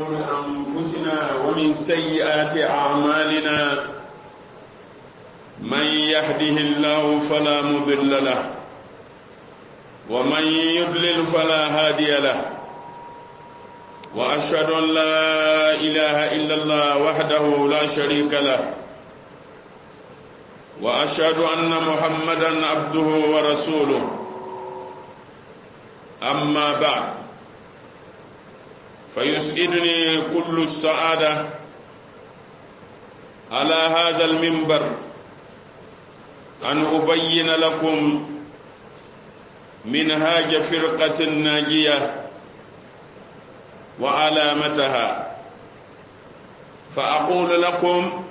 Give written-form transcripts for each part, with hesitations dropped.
شرور أنفسنا ومن سيئات أعمالنا، من يهده الله فلا مضل له ومن يضلل فلا هادي له، وأشهد أن لا إله إلا الله وحده لا شريك له، وأشهد أن محمدا عبده ورسوله. أما بعد، فيسعدني كل السعادة على هذا المنبر أن أبين لكم منهاج فرقة الناجية وعلامتها، فأقول لكم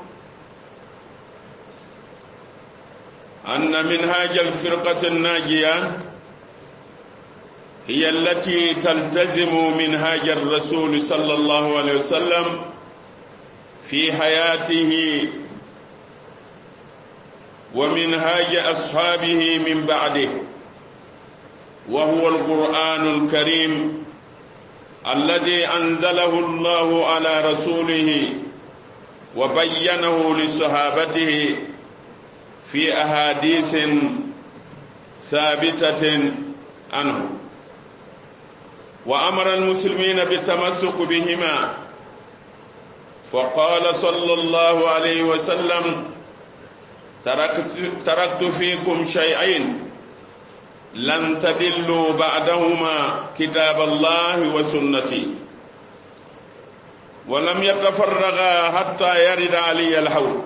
أن منهاج الفرقة الناجية هي التي تلتزم منهاج الرسول صلى الله عليه وسلم في حياته ومنهاج أصحابه من بعده، وهو القرآن الكريم الذي أنزله الله على رسوله وبينه لصحابته في أحاديث ثابتة عنه، وأمر المسلمين بالتمسك بهما، فقال صلى الله عليه وسلم: تركت فيكم شيئين لن تضلوا بعدهما، كتاب الله وسنتي، ولم يتفرغا حتى يرد علي الحوض.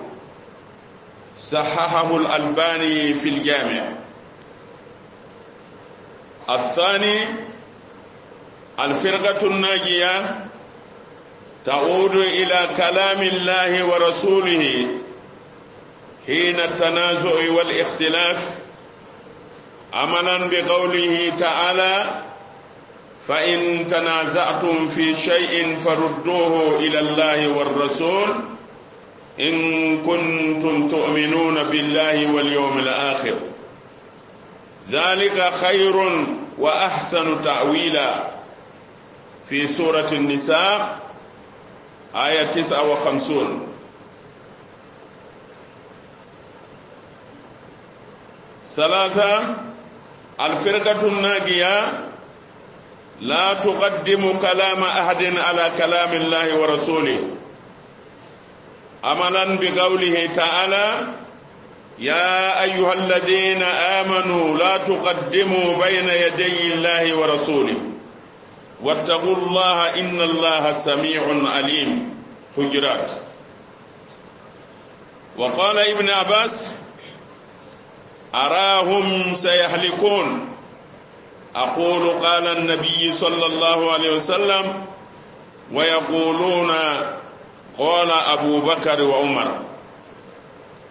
صححه الألباني في الجامع. الثاني: الفرقة الناجية تعود إلى كلام الله ورسوله حين التنازع والاختلاف، عملا بقوله تعالى: فإن تنازعتم في شيء فردوه إلى الله والرسول إن كنتم تؤمنون بالله واليوم الآخر، ذلك خير وأحسن تأويلا. في سورة النساء آية 59. ثلاثة: الفرقة الناجية لا تقدم كلام أحد على كلام الله ورسوله، عملا بقوله تعالى: يا أيها الذين آمنوا لا تقدموا بين يدي الله ورسوله واتقوا الله إن الله سميع عليم. حجرات. وقال ابن عباس: أراهم سيهلكون، أقول قال النبي صلى الله عليه وسلم، ويقولون قال أبو بكر وعمر.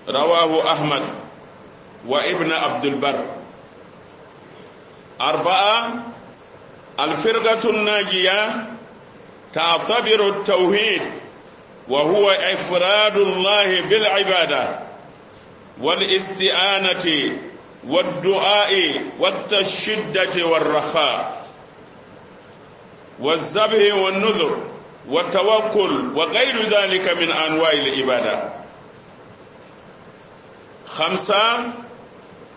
رواه أحمد وابن عبد البر. أربعة: الفرقة الناجية تعتبر التوحيد، وهو إفراد الله بالعبادة والاستعانة والدعاء والتشدة والرخاء والذبح والنذر والتوكل وغير ذلك من أنواع العبادة. خمسة: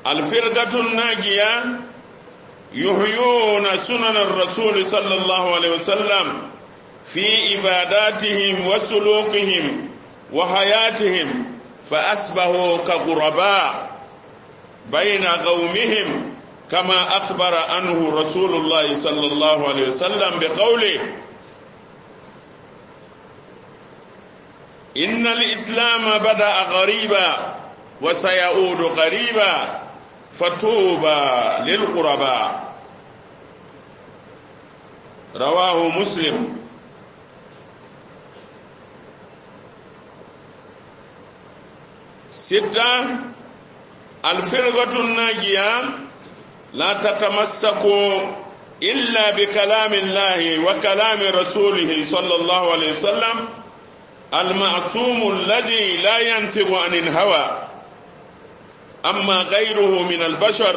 الفرقة الناجية يحيون سنن الرسول صلى الله عليه وسلم في عباداتهم وسلوكهم وحياتهم، فأصبحوا كغرباء بين قومهم، كما أخبر عنه رسول الله صلى الله عليه وسلم بقوله: إن الإسلام بدأ غريبا وسيعود غريبا، فطوبى للغرباء. رواه مسلم. ستة: الفرقة الناجية لا تتمسك إلا بكلام الله وكلام رسوله صلى الله عليه وسلم المعصوم الذي لا ينطق عن الهوى. أما غيره من البشر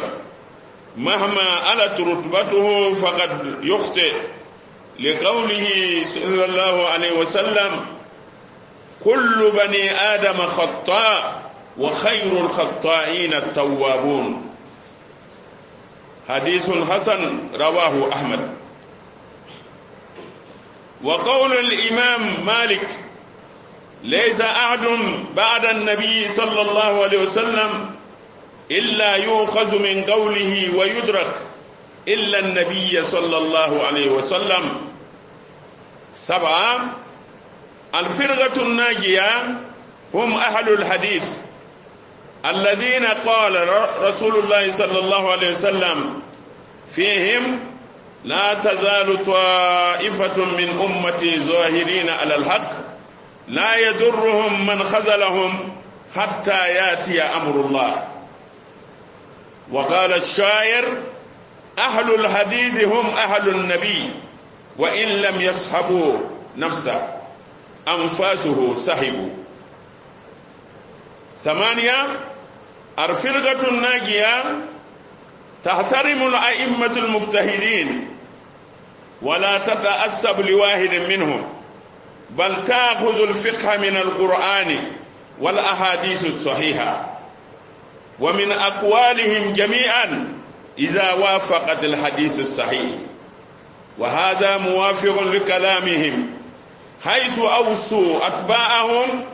مهما علت رتبته فقد يخطئ، لقوله صلى الله عليه وسلم: كل بني آدم خطاء وخير الخطائين التوابون. حديث حسن رواه أحمد. وقول الإمام مالك: ليس أحد بعد النبي صلى الله عليه وسلم إلا يؤخذ من قوله ويدرك إلا النبي صلى الله عليه وسلم. 7، الفرقة الناجية هم أهل الحديث الذين قال رسول الله صلى الله عليه وسلم فيهم: لا تزال طائفة من أمتي ظاهرين على الحق لا يضرهم من خذلهم حتى يأتي أمر الله. وقال الشاعر: أهل الحديث هم أهل النبي وإن لم يصحبوا نفسه أنفاسه صحبوا. 8، الفرقة الناجية تحترم الأئمة المجتهدين ولا تتأسب لواحد منهم، بل تأخذ الفقه من القرآن والأحاديث الصحيحة ومن أقوالهم جميعا إذا وافقت الحديث الصحيح، وهذا موافق لكلامهم حيث أوصوا أتباعهم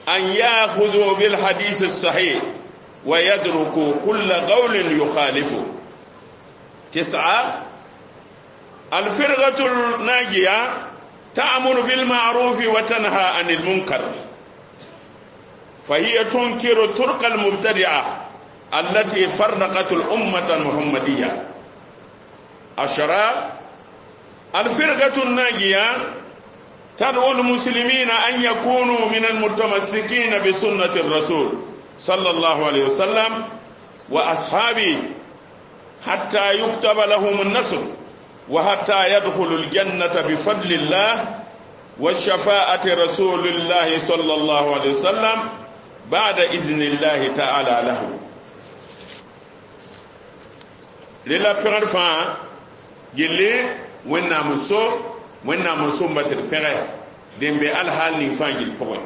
أن يأخذوا بالحديث الصحيح ويدركوا كل قول يخالفه. 9، الفرقة الناجية تأمر بالمعروف وتنهى عن المنكر، فهي تنكر الطرق المبتدعة التي فرقت الأمة المحمدية. 10، الفرقة الناجية تدعو المسلمين أن يكونوا من المتمسكين بسنة الرسول صلى الله عليه وسلم وأصحابه حتى يكتب لهم النصر وحتى يدخلوا الجنة بفضل الله والشفاعة رسول الله صلى الله عليه وسلم بعد إذن الله تعالى له. للا pẽgd fãa gilli Wẽnnaam n so Wẽnnaam n sõmba tɩ d pẽge dẽn be alhaal ning fãa gill pʋgẽ.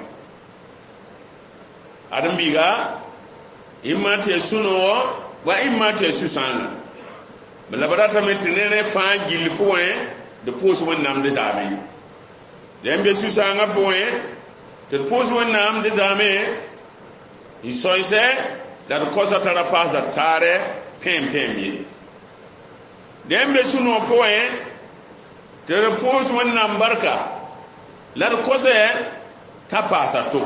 Ãdem-biiga ɩma tɩ ya sũ-noogo wa ɩma tɩ ya sũ-sãanga la b ratame tɩ ne fãa gill pʋgẽ d pʋʋs Wẽnnaam d zaame. Dẽn be sũ-sãangã pʋgẽ tɩ d pʋʋs Wẽnnaam d zaame n sõɩsɛ la d kosa t'a ra paasa taarɛ pẽem-pẽem ye. Dẽn be sũ-noog pʋgẽ tɩ d pʋʋs Wẽnnaam barka la d kosɛ t'a paasa to.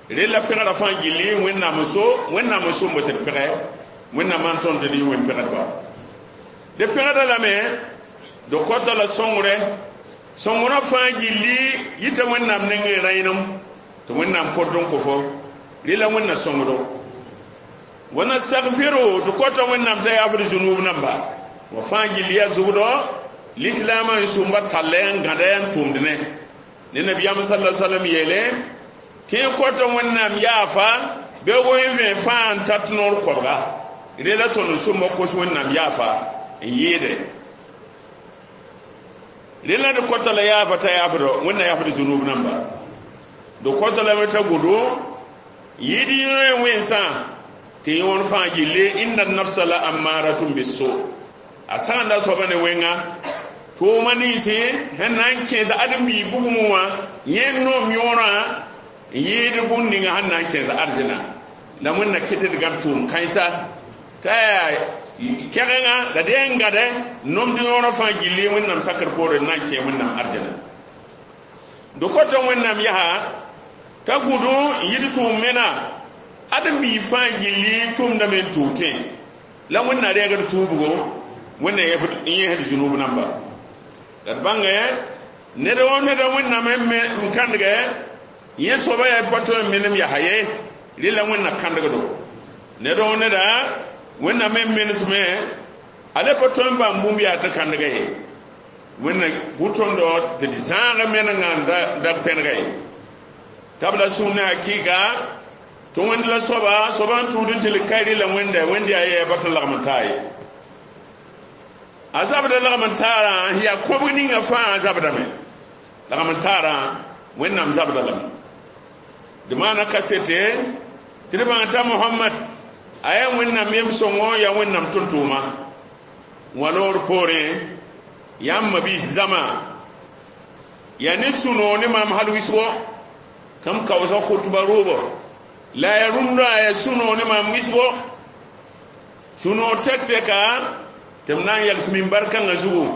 Rella pẽgrã fãa gilli Wẽnnaam n so Wẽnnaam n sõmb tɩ d pẽge Wẽnnaam n tõnd tɩ d yẽ wẽn-pẽgdba. D pẽgda lame d kota la sõngre sõngrã fãa gilli yita Wẽnnaam nengẽ rãenem tɩ Wẽnnaam kõt n kõ fo rella Wẽnna sõngdo. Wa nastagfiru d kota Wẽnnaam t'a yaafd zunub namba wa fãa gilli yaa zugdo lislaamã n sũmba tallɛ n gãda n tʋmd ne ne nabiyaam sallallahu alaihi wasallam yeele tɩ y kota Wẽnnaam yaafa bɩ goẽ fãa n tat noor koabga rela tõnd sõmba kos Wẽnnaam yaafa n yɩɩde. Rela d kota la yaafa t'a yaafdo Wẽnna yaafd zunub namba d kota lame t'a gʋdo yɩɩd yẽ wẽnsã tɩ yõor fãa gilli inna nafsa la ammaratun bisu a sagenda soaba ne wẽnga tʋʋma ninsi sẽn na n kẽed ãdem-biig bugmẽ wã yẽ noom yõorã n yɩɩd bũmb ninga sẽn na n kẽed arzẽna la Wẽnna kɩt d gãb tʋʋm kãensa t'a yaa kɛgenga la d yaa n gãdɛ nomd yõorã fãa gilli Wẽnnaam sakr poore n na n kẽ Wẽnnaam arzẽna. D kota Wẽnnaam yaa t'a gũdũ n yɩd tʋʋm mena ãdem-biig fãa gilli tʋʋmdame n tʋʋg tẽ la Wẽnna reegd tuubgo Wẽnna n yẽsd zunub namba. La d bãngẽ ned wã neda Wẽnnaam n kãndgɛ yẽ soaba yaa pa tõe n menem yaa ye rela Wẽnna kãndgdo. Ned wã neda Wẽnnaam n menesme a le pa tõe n bãmb bũmb yaa tɩ kãndga ye Wẽnna bʋ tõndo tɩ d zãag menengã n da pẽnega ye. T'a b la sũur ne hakɩɩka tɩ Wẽnd la soaba soaba n tũud n tɩ l ka rela Wẽnda Wẽnd yaa yɛɛ ba tɩ lagm n taa ye. A zabda lagm n taarã yaa kõbg ninga fãa zabdame. Lagm n taarã Wẽnnaam zabda lame. D maana kasete tɩ d bãng t'a Mohamad a yaa Wẽnnaam yem-sõngo, yaa Wẽnnaam tʋm-tʋʋma. Wã loor poorẽ, yãmb mabiis zãma yaa ne sũ-noog ne maam hal wɩsgo tɩ m kaoosa khutba rʋʋbɔ la ya rũndã yaa sũ-noog ne maam wɩsgo, sũ-noog tek-tɛka tɩ m na n yals minbar kãngã zugu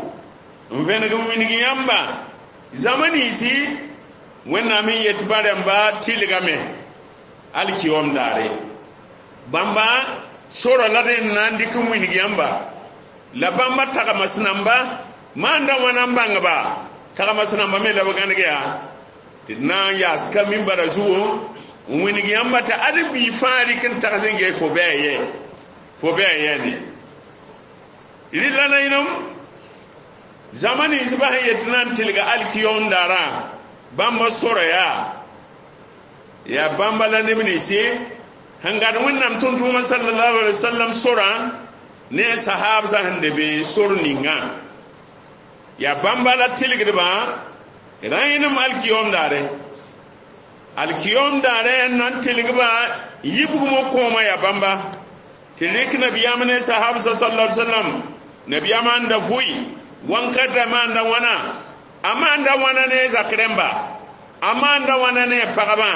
n vẽneg n wilg yãmba zãma ninsi Wẽnnaam n yet bã rãmba tɩlgame alkiyom daare. Bãmba sora la d n na n dɩk n wilg yãmba la bãmba tagmas namba maanda wãna n bãngba tagmas namba me la b gãneg yaa tɩ d na n yaas ka minbara zugu n wilg yãmba tɩ ad bii fãa rɩk n tags n gee fo bɩ a yɛ, fo bɩ a yɛ ne rɩla nainem zãma ninsbã sẽn yet na n tɩlga alkiyom daarã. Bãmba sora yaa bãmba la neb ninsi sẽn gad Wẽnnaam tʋm-tʋʋmã sallallahu alaihi wasallam sorã ne a sahaabsã sẽn lebe sor ninga yaa bãmba la tɩlgdbã rãenem alkiyom daare. Alkiyom daare n na n tɩlgba yibgmo kõoma yaa bãmba tɩ rɩk nabiyaam ne sahaabsã sallallahu alaihi wasallam. Nabiyaamã n da vʋɩ wãnkata maanda wãna, a maanda wãna ne zak rẽmba, a maanda wãna ne pagba,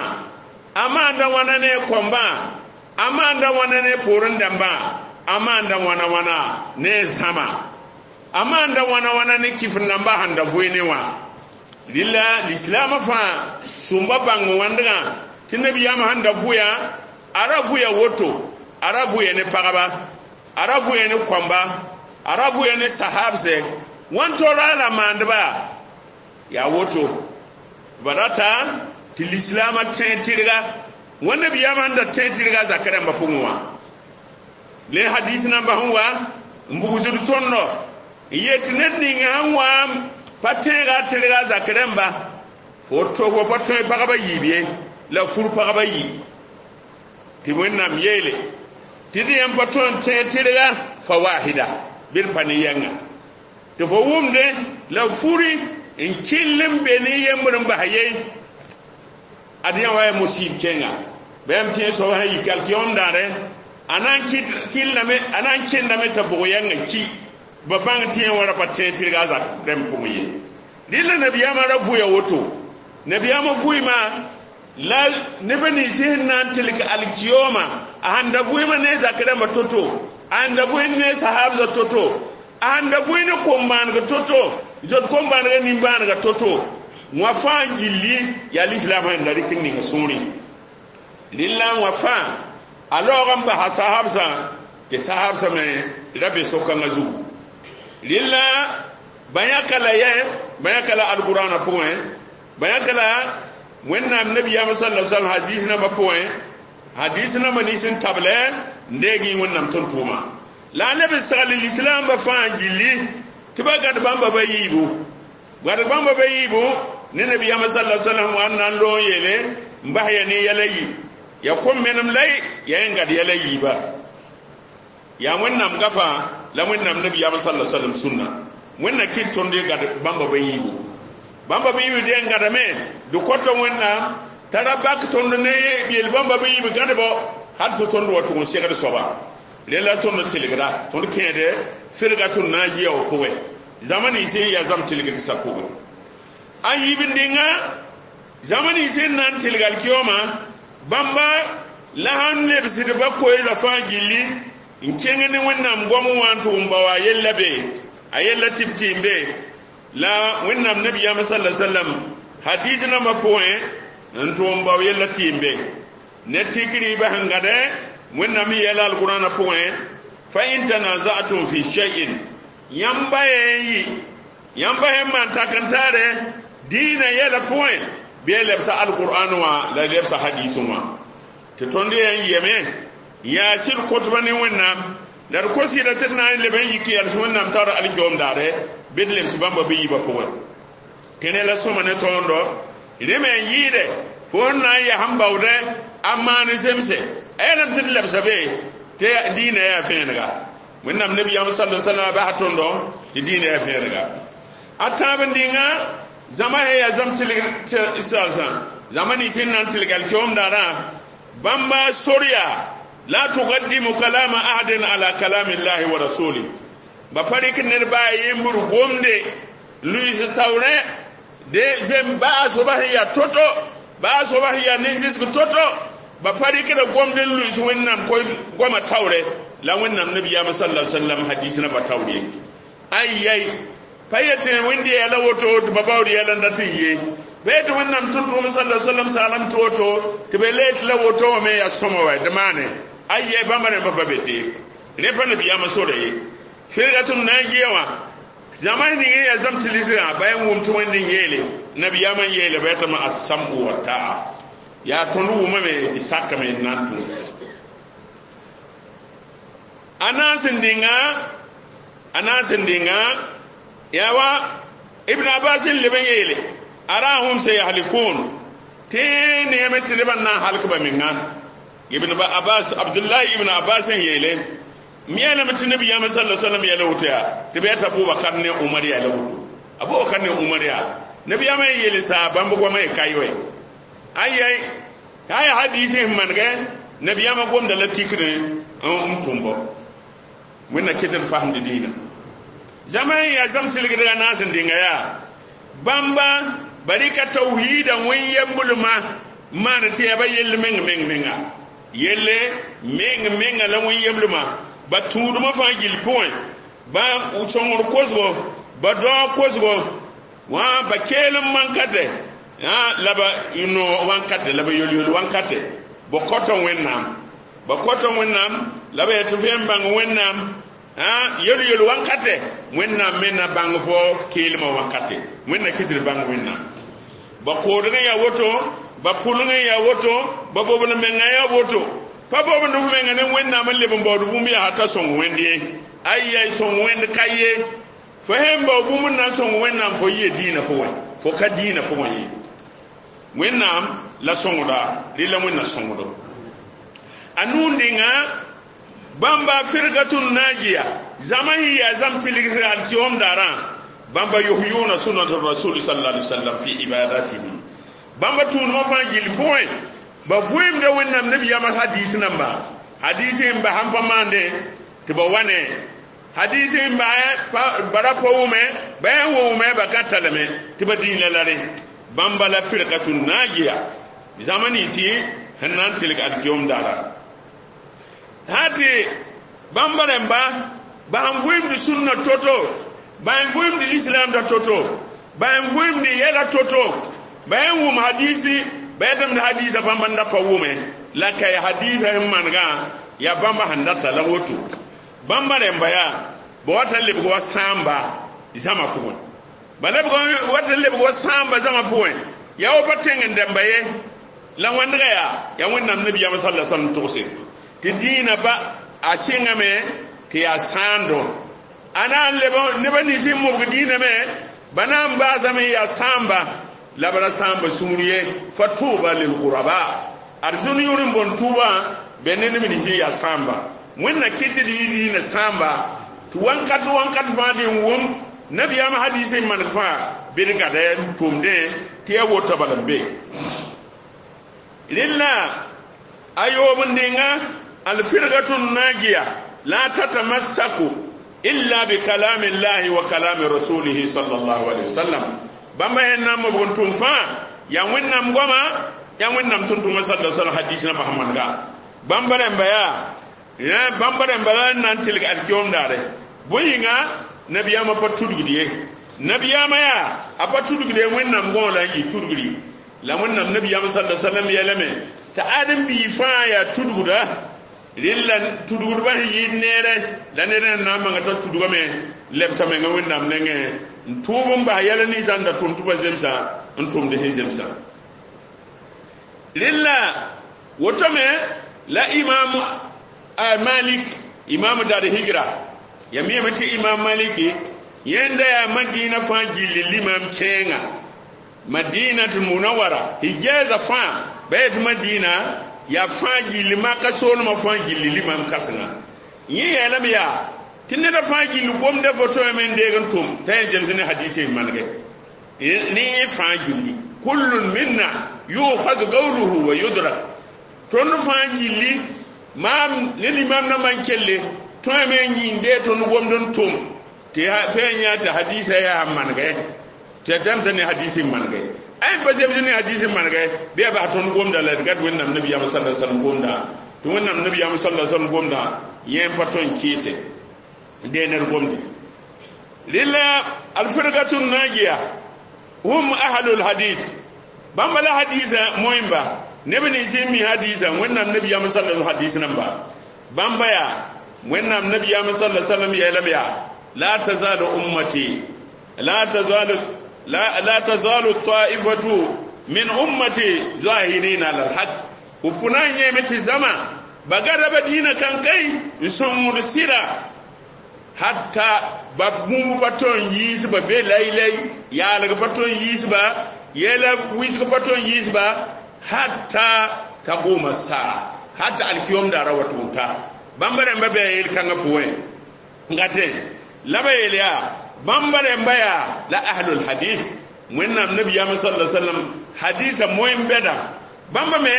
a maanda wãna ne kõmbã, a maanda wãna ne poorẽ dãmbã, a maanda wãna wãna ne zãma, a maanda wãna wãna ne kifr nambã sẽn da vʋɩ ne wã. Rɩla lislaamã fãa sũmba bãng wãndgã tɩ nabiyaamã sẽn da vʋya, a ra vʋya woto, a ra vʋya ne pagba, a ra vʋya ne kõmba, a ra vʋya ne sahabse wãn tora la maandba yaa woto. Ba rata tɩ lislaamã tẽ tɩrga wã nabiyaamã sẽn da tẽ tɩrga zak rãmbã pʋgẽ wã. Le hadis namba sẽn wa n bugsd tõndo n yet ned ning sẽn wa pa tẽega tɩrga zak rãmba, fo to fo pa tõe pagba yiib ye la fur pagba yi tɩ Wẽnnaam yeele tɩ d yãmb pa tõe n tẽ tɩrga fa wahida bɩ d pa ne yɛnga tɩ fo wʋmde la furi n kell n be ne yembr n bas ye ad yã wa ya musib kẽnga ba yãmb tẽ soab sẽn yik alkiyom daare a na n kɩllame, a na n kẽndame t'a bʋg yɛnga ki ba bãng tɩ yẽ wã ra pa tẽ tɩrga a zak rãmb pʋgẽ ye. Rɩla nabiyaamã ra vʋya woto. Nabiyaamã vʋɩma la neb nins sẽn na n tɩlg alkiyoma, a sãn da vʋɩma ne zak rãmbã to-to, a sãn da vʋɩ ne sahabsã to-to, a sãn da vʋɩ ne kom-bãaneg to-to, zot kom-bãanega nin-bãanega to-to, wã fãa gilli yaa lislaam sẽn da rɩk n ning sũurẽ. Rɩla wã fãa a laoog n basa sahabsã tɩ sahabsã me ra be so-kãngã zugu. Rɩla bã yãka la yɛ, bã yãka la alqurãna pʋgẽ, bã yãka la Wẽnnaam nabiyaamã sallallahu alaihi wasallam hadis nambã pʋgẽ, hadis nambã nins n tablɛ n deeg Wẽnnaam tʋm-tʋʋma la a leb n segl lislaambã fãa gilli tɩ ba gãd bãmba ba yiibu, gãd bãmba ba yiibu ne nabiyaamã sallallahu alaihi wasallam wa n na n loog n yeele n bas ya ne yɛla yi ya kom menem la ya yẽ gad yɛla yiiba yaa Wẽnnaam gafa la Wẽnnaam nabiyaamã sallallahu alaihi wasallam sũnna. Wẽnna kɩt tõnd ye gad bãmba ba yiibu, bãmba ba yiibu dẽ n gãdame d kõta Wẽnnaam t'a ra bak tõnd ne yel bãmba ba yiib gãdbɔ hal tɩ tõnd wa tʋg n segd soaba. Rela tõnd tɩlgda tõnd kẽede ferga tõnd na n yɩa w pʋgẽ zãma nins n yaa zãm tɩlgd sa pʋgẽ a yiib n dĩnga zãma nins n na n tɩlg alkiyoma bãmba la sãn lebsd ba koeesa fãa gilli n kẽng ne Wẽnnaam goam wã n tʋg n bao a yella be, a yella tɩ b tɩ n be la Wẽnnaam nabiyaamã sallallahu alaihi wasallam hadis nambã pʋgẽ n tʋg n bao yella tɩ n be ne tikriibã sẽn gãdɛ Wẽnnaam n yɛla alqurãna pʋgẽ fa in tanazatum fi shay'in yãmba yẽ n yɩ yãmba sẽn maan tak n taare dĩinã yɛla pʋgẽ bɩ a lebsa alqur'an wã la lebsa hadis wã tɩ tõnd yẽ n yɛme yaa sɩd kõtba ne Wẽnnaam la d kos yɩla tɩ d na n leb n yik yals Wẽnnaam taoor alkiom daare bɩ d lebs bãmba bɩ yiibã pʋgẽ. Kẽne la sõma ne tõondo rẽ me n yɩɩde fo n na n yaa sẽn baoodɛ a maan zemse a yɛlem tɩ d lebsa be tɩ dĩinã yaa fẽenega. Wẽnnaam nabiyaam sallallahu alaihi wasallam basa tõndo Tɩ dĩinã yaa vẽedga a tãab n dĩnga zãma sẽn yaa zãm tɩlg zãma nins sẽn na n tɩlg alkiom daarã bãmba sor yaa la tuqaddimu kalama ahadin ala kalami llahi wa rasuli ba pa rɩk ned baa yembr gomde luiis taoorẽ de zem baa soaba sẽn yaa to-to baa soaba sẽn yaa nin-zɩsg to-to ba pa rɩkda gomd n luiis wẽnnaam goama taoorɛ la wẽnnaam nabiyaamã sala sallam hadis namba taoor ye ay-yay pa yetɩ wẽnd yɛɛla woto tɩ ba baood yɛla n dat n ye pa yetɩ wẽnnaam tʋm-tʋʋm sala sallam saalem tɩ woto tɩ be le tɩ la woto wã me yaa sõma wa d maane ay-yay bãmba rẽmba pa be te rẽ pa nabiyaamã sora ye firgatʋm na n yɩa wã zãma ning n yaa zãm tɩ lisgã ba yaa wʋm tɩ wẽnd n yeele nabiyaamã n yeele ba yetame assam'u wa ta'a yaa tõnd wʋmame tɩ sakame n na n tʋm a naas n dĩnga a naas n dĩnga yaa wa ibn abbas n leb n yeele arahum sayahlikun tɩ neeme tɩ nebã n na n halk ba menga ibn abbas abdullahi ibn abbas n yeele m yeelame tɩ nabiyaamã sala sallam yɛla woto yaa tɩ b yata abubakar ne umar yɛla woto abubakar ne umar yaa nabiyaamã n yeele saa bãmb goamã ye ka yoe ayay aya hadisi n manegɛ nabiyaamã gomda la tikr n tʋm bɔ wẽnna ket d fasemd dĩinã zãma n yaa zãm tɩlgdga naas n dĩnga yaa bãmba ba rɩka tawhiida wẽn yemblmã maan tɩ yaa ba yell meng meng menga yelle meng menga la wẽn yemblmã ba tũudmã fãa gill pʋgẽ ba sõngr kosgo ba daoog kosgo wã ba keelem mankatɛ la ba noog wãnkatɛ la ba yol-yol wãnkatɛ ba kõta wẽnnaam ba kõta wẽnnaam la ba yetɩ f yẽn bãng wẽnnaam yel-yel wãnkatɛ wẽnnaam me na bãng fo keelmã wãnkatɛ wẽnna kɩt d bãng wẽnnaam ba koodg n yaa woto ba pʋlg n yaa woto ba bobl mengã yaa woto pa bobnd f menga ne wẽnnaam n leb n baood bũmb yaa t'a sõng wẽnd ye ayay sõng wẽnd ka ye fo sẽn bao bũmb n na n sõng wẽnnaam fo yɩ dĩinã pʋgẽ fo ka dĩinã pʋgẽ ye wẽnnaam la sõngda rɩla wẽnna sõngdo a nuu dĩnga bãmba firgatun najiya zãma sẽn yaa zãm tɩlgsg alkiom daarã bãmba yuhyuna sunnat rasul sallallahu alaihi wasallam fi ibadatihi bãmba tũudmã fãa gill pʋgẽ ba vʋɩɩmda wẽnnaam nabiyaamã hadis namba hadis n ba sãn pa maande tɩ ba wa ne hadis n ba bara pa wʋme ba yaa n wʋme ba ka talame tɩ ba dĩinã la rẽ bãmba la firqatun najiya zãma ninsi sẽn na n tɩlg alkiom daara sã tɩ bãmba rẽmba ba sẽn vʋɩɩmd sũnna to-to ba sẽn vʋɩɩmd lislaamda to-to ba sẽn vʋɩɩmd yɛla to-to ba sẽn wʋm hadisi ba yetame tɩ hadiisã bãmba n da pa wʋme la ka ya hadiisã sẽn manegã yaa bãmba sẽn data la woto bãmba rẽmba yaa ba wata lebg wa sãamba zãma pʋgẽ ba lebg wata lebg wa sãamba zãma pʋgẽ yaa wa pa tẽng n dẽmba ye la wẽndga yaa yaa wẽnnaam nabiyaamã sala sallam togse tɩ dĩinã ba a sɩngame tɩ yaa sãando a na n leb neba nins n mobg dĩinã me ba na n baasame n yaa sãamba la b ra sãamba sũur ye fa tʋʋba lilguraba ad zũn yʋr n bõn tʋʋbã be ne neb nins n yaa sãamba wẽnna kɩt d yɩ dĩinã sãamba tɩ wãnkat wãnkat fãa dɩ n wʋm nabiyaamã hadis n maneg fãa bɩ d gada n tʋmdẽ tɩ yaa wota bala n be rẽlla a yoob n dẽnga alfirgatun najiya la tatamassaku illa bi kalami llahi wa kalami rasulihi sallallahu alaihi wasallam bãmba sẽn na n mobg n tʋm fãa yaa wẽnnaam goama yaa wẽnnaam tʋm-tʋmã sala sallam hadis namba sẽn manega bãmba rẽmba yaa bãmba rẽmba la n na n tɩlg alkiom daare bõe yĩnga nabiyaamã pa tudgd ye nabiyaamã yaa a pa tudgd ye wẽnnaam gõo la n yɩ tudgri la wẽnnaam nabiyaamã sala sallam yɛlame t'a ãdem-biig fãa yaa tudgda rẽlla tudgdbã sẽn yɩɩd neere la ned n na n manga t'a tudgame lebsa menga wẽnnaam nengẽ n tʋʋb n bas yɛla ninsã n da tʋm tɩ ba zemsã n tʋmd sẽn zemsã rẽlla woto me la imam malik imam dar higra ya miyame tɩ imam maliki yẽnda yaa madina fãa gilli limam kẽenga madinat munawara hijaza fãa ba yetɩ madina yaa fãa gilli maka soolmã fãa gilli limam kãsenga yẽ yeelame yaa Tɩ neda fãa gilli gomda fo tõeme n deeg n tʋm t'a yẽ zems ne hadise n manege ne yẽ fãa gilli kullun minna yukhaz qawluhu wa yudrak. Tõnd fãa gilli maam ne limam nambã n kelle tõeme n yĩnde tõnd gomd n tʋm tɩ fẽe yã tɩ hadisa yaa manege tɩ ya zemsa ne hadis n manege ay pa zems ne hadis n manege bɩ ya bas tõnd gomda la d gat Wẽnnaam nabiyaam sallallahu alaihi wasallam gomda tɩ Wẽnnaam nabiyaam sallallahu alaihi wasallam gomda yẽ pa tõe n kɩɩse deener gomde. Rɩla alfirgatu najiya hum ahlul hadis bãmba la hadisa moẽmba neb nins n mi hadisa Wẽnnaam nabiyaam sallallahu hadis namba bãmba yaa Wẽnnaam nabiyaam sallallahu alaihi wasallam yeelame yaa la tazalu ummati la tazalu la tazalu ta'ifatu min ummati zahirina ala alhaq upuna yeme tɩ zama bagaraba diina kankay n sõngd sɩda hatta ba bũmb pa tõe n yiisba be laylay yaalg pa tõe n yiisba yɛla wɩsg pa tõe n yiisba hatta taquma saa hatta alkiyom daara wa tʋg n ta. Bãmba rẽmba bɩ a yel-kãngã pʋgẽ n gatẽ la ba yeel yaa bãmba rẽmba yaa la ahlul hadith Wẽnnaam nabiyaam sallallahu alaihi wasallam hadisa moẽn bɛda bãmba me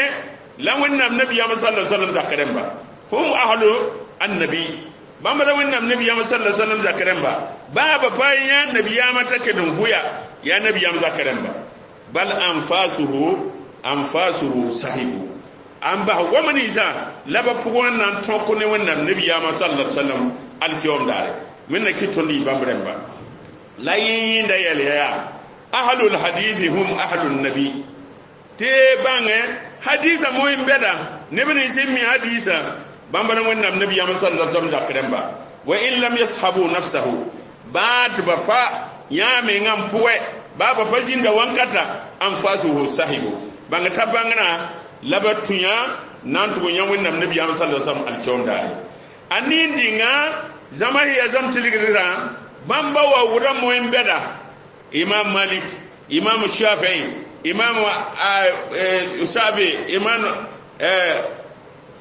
la Wẽnnaam nabiyaam sallallahu alaihi wasallam zak rẽmba hum ahlu annabi bãmba la Wẽnnaam nabiyaam sallallahu alaihi wasallam zak rẽmba baa ba pa yã nabiyaamã t'a ked n vʋya yaa nabiyaam zak rẽmba bal anfasuhu anfasuhu sahibu an bas goam ninsã la ba pʋgẽ n na n tõk ne Wẽnnaam nabiyaamã sallallahu alaihi wasallam alkiyom daare. Wẽnna kɩ tõnd yɩ bãmb rẽmba la yẽ yẽnda yɛl yaa ahlul hadithi hum ahlun nabi tɩ bãngẽ hadisa moẽ bɛda neb nins n mi hadisa bãmba la Wẽnnaam nabiyaam sallallahu alaihi wasallam zak rẽmba wa in lam yashabu nafsahu baa tɩ ba pa yã mengã n pʋgɛ baa ba pa zĩnda wãnkata anfasuhu sahibu bãng t'a bãngrã la ba tũ yã na n tʋg n yã Wẽnnaam nabiyaam sallallahu alaihi wasallam alkiom daare. A nin-dĩngã zãma sẽn yaa zãm tilgdrã bãmba wa wʋda moẽ bɛda Imam Malik, Imam Shafi'i, Imam Shafi, Imam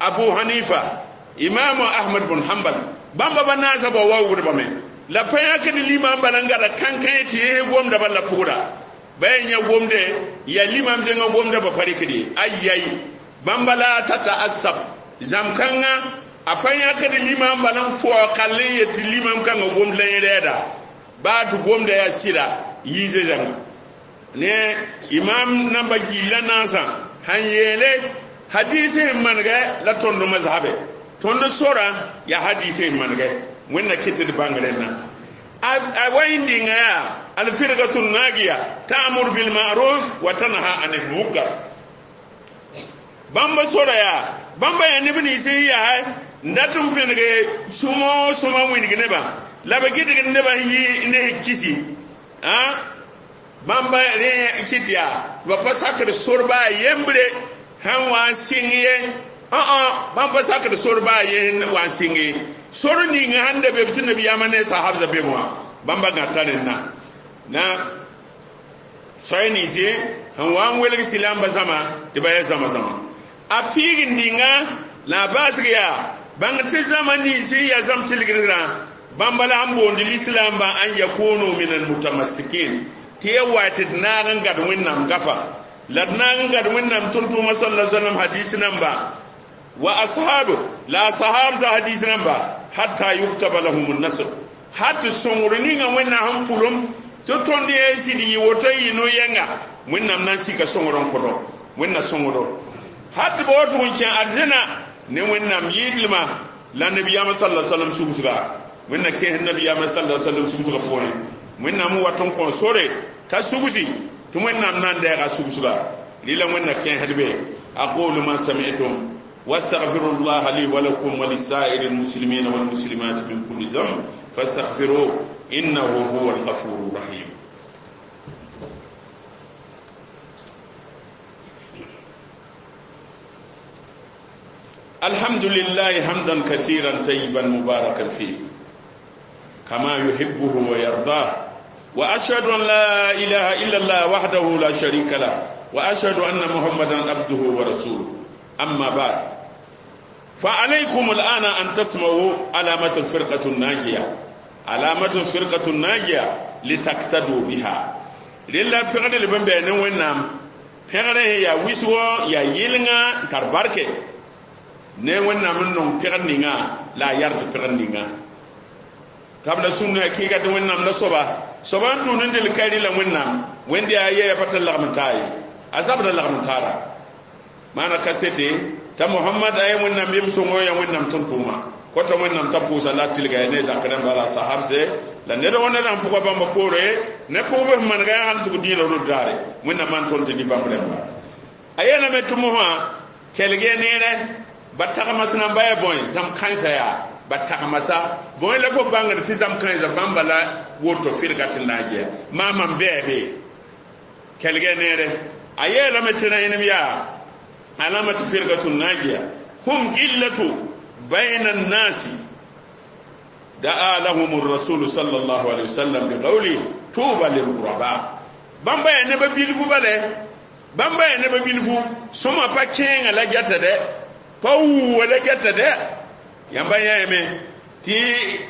Abu Hanifa, Imam Ahmad bin Hanbal. Bãmba ba naasã ba wa wʋdba me la pa yãkd limam bala n gada kãnkã tɩ yẽ gomda bala pʋgda ba yaa yã gomde yaa limam dẽngã gomda ba pa rɩkd ye ayai bãmba la ta ta'assab zãm-kãngã a pa yãkd limam bala n fao kall n yet tɩ limam kãngã gomd la yẽ rɛɛda baa tɩ gomda yaa sɩda yiise zãnga ne imam namba gilla naasã sãn yeele hadis sẽn manegɛ la tõnd mazhabe tõnd sora yaa hadis sẽn manegɛ Wẽnna kɩt d bãng rẽnna a wa yẽn dɩnga yaa alfirgatu nagiya ta'mur bil ma'ruf wa tanha anil munkar. Bãmba sora yaa bãmba yaa neb nins n yaa n dat n fẽnege sũmo sõma wĩndg nebã la ba gɩdgd nebã yɩ ne kisi bãmba rẽ kɩt yaa ba pa sakd sor baa yembre sãn wa n sɩng ye bãmb pa sakd sor baa ye wa n sɩng ye sor ning sãn da be tɩ nabiyaamã ne sahabza be wã bãmba gãta rẽnna na soay ninsi sẽn wa n welg silamba zãma tɩ ba yaa zãma zãma a piig n dĩnga la a baasg yaa bãng tɩ zãma ninsi yaa zãm tilgdrã bãmba la sẽn boond lislaambã an yakunu min almutamassikin tɩ ya wa tɩ d naag n gad Wẽnnaam gafa la d naag n gad Wẽnnaam tʋm-tʋʋmã sallallahu alaihi wasallam hadis namba wa ashabu la sahab za hadis namba hatta yuktaba lahum an-nasr hatta sõngr ninga Wẽnnaam sẽn pʋlem tɩ tõnd yẽ sɩd yɩ woto yɩ no-yɛnga Wẽnnaam na n sika sõngr n kõdo Wẽnna sõngdo hat ba woto n kẽ arzẽna ne Wẽnnaam yɩɩdlma la nabiyaamã sallallahu alaihi wasallam sugusga Wẽnna kẽes nabiyaamã sallallahu alaihi wasallam sugusga pʋgẽ Wẽnnaam wat n kõ sore t'a sugsi tɩ Wẽnnaam na n dɛɛga sugusga rɩla Wẽnna kẽesd be aqulu ma sami'tum واستغفر الله لي ولكم ولسائر المسلمين والمسلمات من كل ذنب فاستغفروه إنه هو الغفور الرحيم. الحمد لله حمدا كثيرا طيبا مباركا فيه كما يحبه ويرضاه، وأشهد أن لا إله إلا الله وحده لا شريك له، وأشهد أن محمدا عبده ورسوله. أما بعد، Fa alaykum al'ana an tasma'u alamatu firqatu najiya, alamatu firqatu najiya litaktadu biha. Rella pẽgd l bẽn bɩ ne Wẽnnaam pẽgrẽ yaa wɩsgɔ, yaa yɩlenga n tar barke ne Wẽnnaam n nong pẽgd ninga la a yard pẽgd ninga. Tabla sũnna hakɩɩga tɩ Wẽnnaam la soaba soaba n tũud n dɩl kairi la Wẽnnaam wẽnd yaa yɛɛ pa tɩ lagm n taa ye, a zabda lagm n taara maana kasete t'a Mohamad a ya Wẽnnaam yem sõngo, ya Wẽnnaam tʋm-tʋʋma kota Wẽnnaam t'a pʋʋsa la a tilga ya ne zakr rãmba la a sahabse la ned wã ned sãn pʋga bãmba poore ne pʋgb sẽn manega yaa sãn tʋg dĩinã rod daare Wẽnnaam maan tõnd tɩ ne bãmb rãmba. A yeelame tɩ mosã kelg-y neerɛ ba tagmas namba ya bõe zãmb kãensã yaa ba tagmasa bõe la fo bãngd tɩ zãmb kãensã bãmba la woto firga tɩ naagea maam n bɩa be kelg-y neerɛ. A yeelame tɩ rẽnem yaa alamatu firgatu najiya hum qillatu bayna an-nasi da'a lahum ar-rasul sallallahu alayhi wasallam bi qawli tuba lil ghuraba. Bãmba yaa neba bilfu bale, bãmba yaa neba bilfu sõma pa kẽenga la gɛta dɛ, pa wuuwa la gɛta dɛ. Yãmba yãame tɩ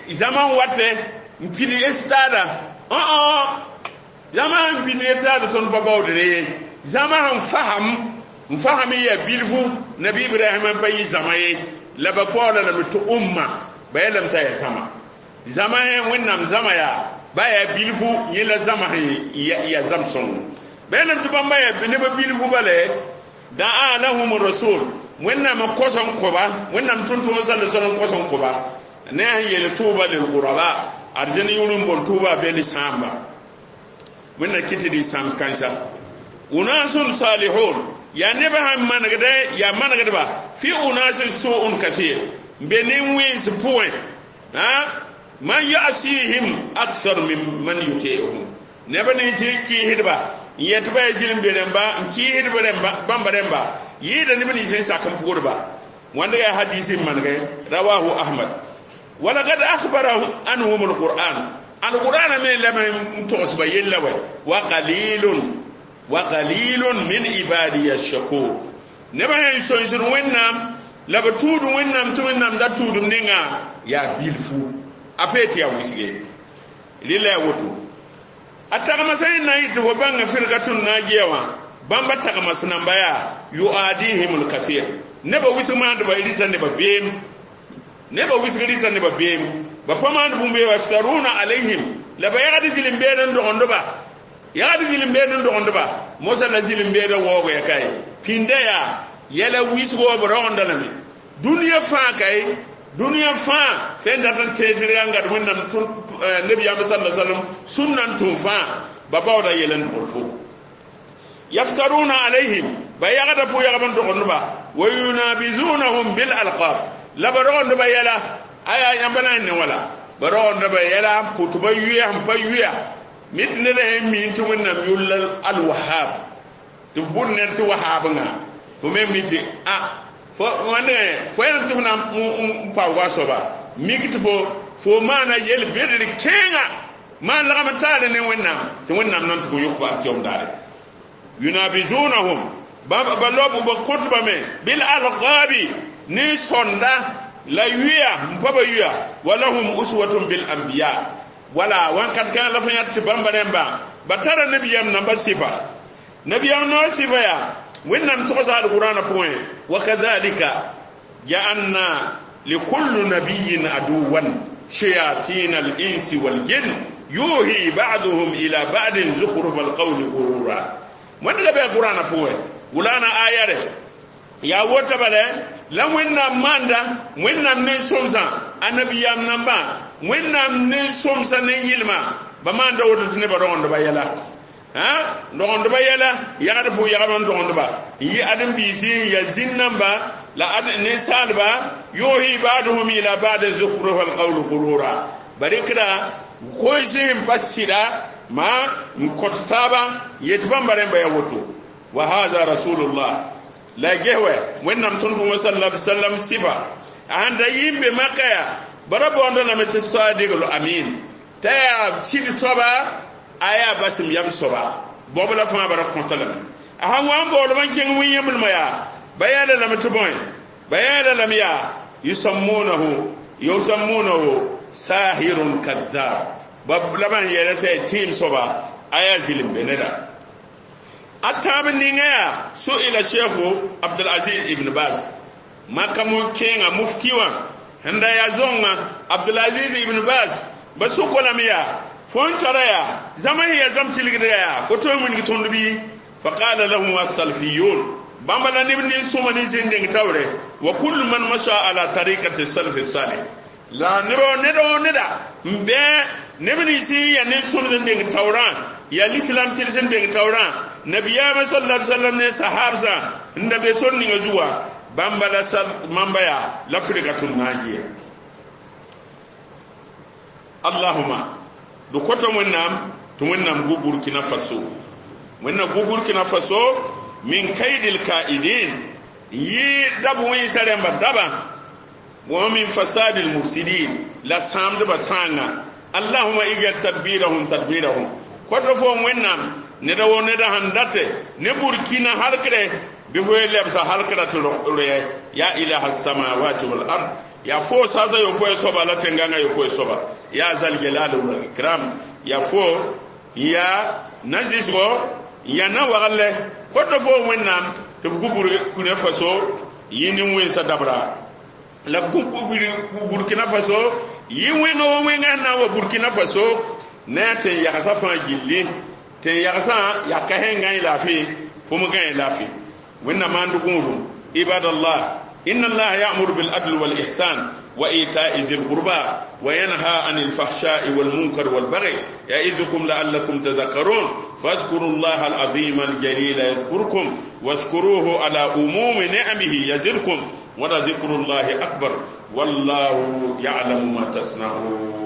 zãma n watɛ n pid estada õ zãma sẽn pid estada tõnd pa baoodre ye, zãma sẽn fasam n fasam n yaa bilfu Nabi Ibrahim n pa yɩ zãma ye la ba paoola lame tɩ umma ba yeelame t'a yaa zãma. Zãma sẽn Wẽnnaam zãma yaa ba yaa bilfu yẽ la zãma sẽn yaa zãm sõngo. Ba yeelame tɩ bãmba yaa neba bilfu bale da'a lahum rasul Wẽnnaam n kos n koba, Wẽnnaam tʋm-tʋʋm sal sal n kos n koba ne a sẽn yeel tʋʋba lil guraba arzẽn yʋr n boon tʋʋba be ne sãamba. Wẽnna kɩ tɩ dɩ sãamb kãensa unasun salihun yaa nebã sẽn manegdɛ yaa manegdba fi unasin su'un kathir n be nin-wẽns pʋgẽ man yasihim aksar min man yuti'uhum neb nins n kɩɩsdba n yet ba yaa zĩl-n be rẽmba n kɩɩsdb rẽmba bãmba rẽmba yɩɩda neb nins n sak n pʋgdba. Wãnda yaa hadis n manegɛ rawahu Ahmad. Walakad akhbara anhum alquran, alquran me lame n togsba yella wɛ wa qalilun wa qalilun min ibadiya ash-shakur. Neba sẽn sõnsd Wẽnnaam la b tũud Wẽnnaam tɩ Wẽnnaam da tũudum ninga yaa bilfu a pee tɩ yaa wɩsge rɩla yaa woto. A tagmasa yẽ na n yɩ tɩ fo bãnga firgatun najiya wã bãmba tagmas namba yaa yuadihim lkathir nebã wɩsg maandba rɩta nebã beem, nebã wɩsg rɩta nebã beem ba pa maand bũmb ye yaftaruna alayhim la ba yagd zĩl-n-beed n dogendba, yagd zĩl-n-beed n dogendba mosa la zĩl-n-beedã waoogo ya kae pĩnda yaa yɛla wɩsgo b rogendã lame dũniyã fãa kae dũniyã fãa sẽn dat n teesr yaa n gad Wẽnnaam nebiyaam sala sallam sũnna n tũm fãa ba baooda yɛl n dogd fo yaftaruna alayhim ba yagda pʋ yagb n dogendba wa yunabizunahum bil alqab la ba rogendba yɛla aya yãmba na n ne wala ba rogendba yɛla n pʋt ba yʋya n pa yʋya mit ned sẽn mi tɩ Wẽnnaam yʋlla alwahab tɩ f bʋd ned tɩ wahabngã fo me mi tɩ a fo wãndgẽ fo yẽlem tɩ f na n paoog a soaba mik tɩ fo maana yel-bedr kẽenga maan lagm n taare ne Wẽnnaam tɩ Wẽnnaam na n tʋg n yõk fo alkiyom daare. Yunabizunahum ba lob ba kõtbame bil alqabi ne sõnda la yʋya n pa ba yʋya walahum uswatun bil anbiya wala wãnkat kãngã la fo yãt tɩ bãmba rẽmba ba tara nabiyam namba sɩfa nabiyam noor sɩfa yaa Wẽnnaam togsa alqurãana pʋgẽ wa kadhalika ja'alna likulli nabiyyin aduwan shayatin al-insi wal jinn yuhi ba'duhum ila ba'din zukhruf al-qawli ghurura. Wẽnd la bɩ alqurãana pʋgẽ wulana aya rɛ yaa wota bala la Wẽnnaam maanda Wẽnnaam ne sõmsã annabiyam nambã Wẽnnaam ne sõmsã ne yɩlma ba maanda woto tɩ nebã rogendba yɛla rogendba yɛla yagd pʋg yagb n rogendba n yɩ ãdem-biisi n ya zĩn namba la ninsaalba yuhi ba'duhum ila ba'din zukhruf al-qawli ghurura ba rɩkda koees sẽn pa sɩda ma n kõt taaba yet bãmba rẽmba yaa woto. Wa hadha rasulullah la gehwe Wẽnnaam tõnd-tʋʋma sallallahu alaihi wasallam sɩfa a sãn da yɩ n be Maka yaa bara boonda lame tɩ sadigl amin t'a yaa sɩd soaba a yaa basem yam soaba bob la fãa bara kõta lame a sãn wa n baoolb n kẽng wẽn-yẽmblmã yaa ba yaala lame tɩ bõe Bayana lam ya yusammunahu yusammunahu sahirun kadhab. Bab laban yɛlɛ tɛ tiim soba aya zilim beneda. Atab ninga ya su'ila Sheikh Abdul Aziz ibn Baz makamu kenga mufti wa handa ya zonga Abdul Aziz ibn Baz ba su ko lam ya fon tara ya zama ya zam tilgida ya foto mun gi tondu bi. Fa qala lahum as-salafiyun bamba la nibni suma ni zinding tawre wa kullu man masha ala tariqati salaf salih la niro nedo neda mbe nebni si ya ne suma zinding tawran ya l'islam tilsen ding tawran nabiyama sallallahu alaihi wasallam ne sahabsa ndabe sonni ngajuwa bamba la sal mamba ya l'afrika tun najiya. Allahumma du koto wennam to wennam gu Burkina Faso, wenna gu Burkina Faso min kaidil kaidin yi dabu wi saremba daba wa min fasadil mufsidin la samde ba sanga. Allahumma igal tadbirahum tadbirahum. Koto fo wennam ne da wo ne da handate ne Burkina harkre bi fo lebsa harkra to re ya ilaha samawati wal ard ya fo sasa yo ko soba la tenganga yo ko soba ya zal jalal wal ikram ya fo ya nazisgo ya na wagalle. Koto fo wennam to fu Burkina Faso yini wen sa dabra la fu Burkina Faso yi weno wenga na wa Burkina Faso ne te ya sa fa gilli te ya sa ya ka henga ila fi fu mu ga ila fi wenna mandu guru. Ibadallah, inna Allah ya'muru bil adli wal ihsan wa ita'i dhil qurba wa yanha 'anil fahsha'i wal munkar wal baghi ya'idukum la'allakum tadhakkarun. Fadhkuru Allah al 'azim al jalil yadhkurkum washkuruhu ala umumi ni'amihi yazidkum wa la dhikrullahi akbar wallahu ya'lamu ma tasna'un.